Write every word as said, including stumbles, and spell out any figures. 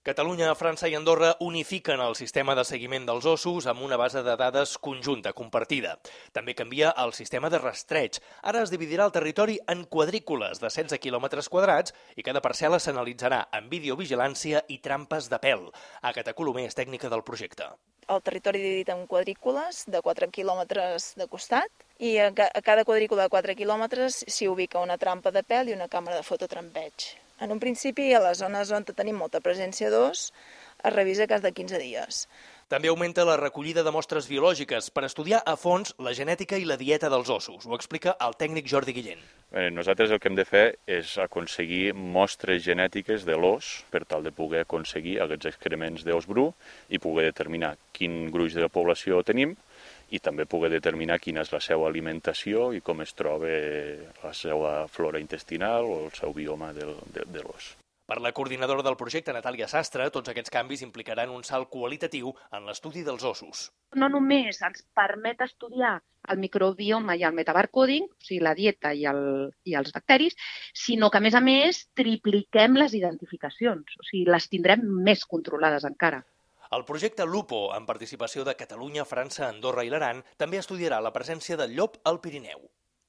Catalunya, França i Andorra unifiquen el sistema de seguiment dels ossos amb una base de dades conjunta, compartida. També canvia el sistema de rastreig. Ara es dividirà el territori en quadrícules de setze quilòmetres quadrats i cada parcel·la s'analitzarà amb videovigilància i trampes de pèl. Àgata Colomer és tècnica del projecte. El territori dividit en quadrícules de quatre quilòmetres de costat i a cada quadrícula de quatre quilòmetres s'hi ubica una trampa de pèl i una càmera de fototrampeig. En un principi, a les zones on tenim molta presència d'os, es revisa cas de quinze dies. També augmenta la recollida de mostres biològiques per estudiar a fons la genètica i la dieta dels ossos. Ho explica el tècnic Jordi Guillén. Bé, nosaltres el que hem de fer és aconseguir mostres genètiques de l'os per tal de poder aconseguir aquests excrements d'os bru i poder determinar quin gruix de població tenim i també poder determinar quina és la seva alimentació i com es troba la seva flora intestinal o el seu bioma de, de, de l'os. Per la coordinadora del projecte, Natàlia Sastre, tots aquests canvis implicaran un salt qualitatiu en l'estudi dels ossos. No només ens permet estudiar el microbioma i el metabarcoding, o sigui, la dieta i, el, i els bacteris, sinó que, a més a més, tripliquem les identificacions, o sigui, les tindrem més controlades encara. El projecte Lupo, amb participació de Catalunya, França, Andorra i l'Aran, també estudiarà la presència del llop al Pirineu.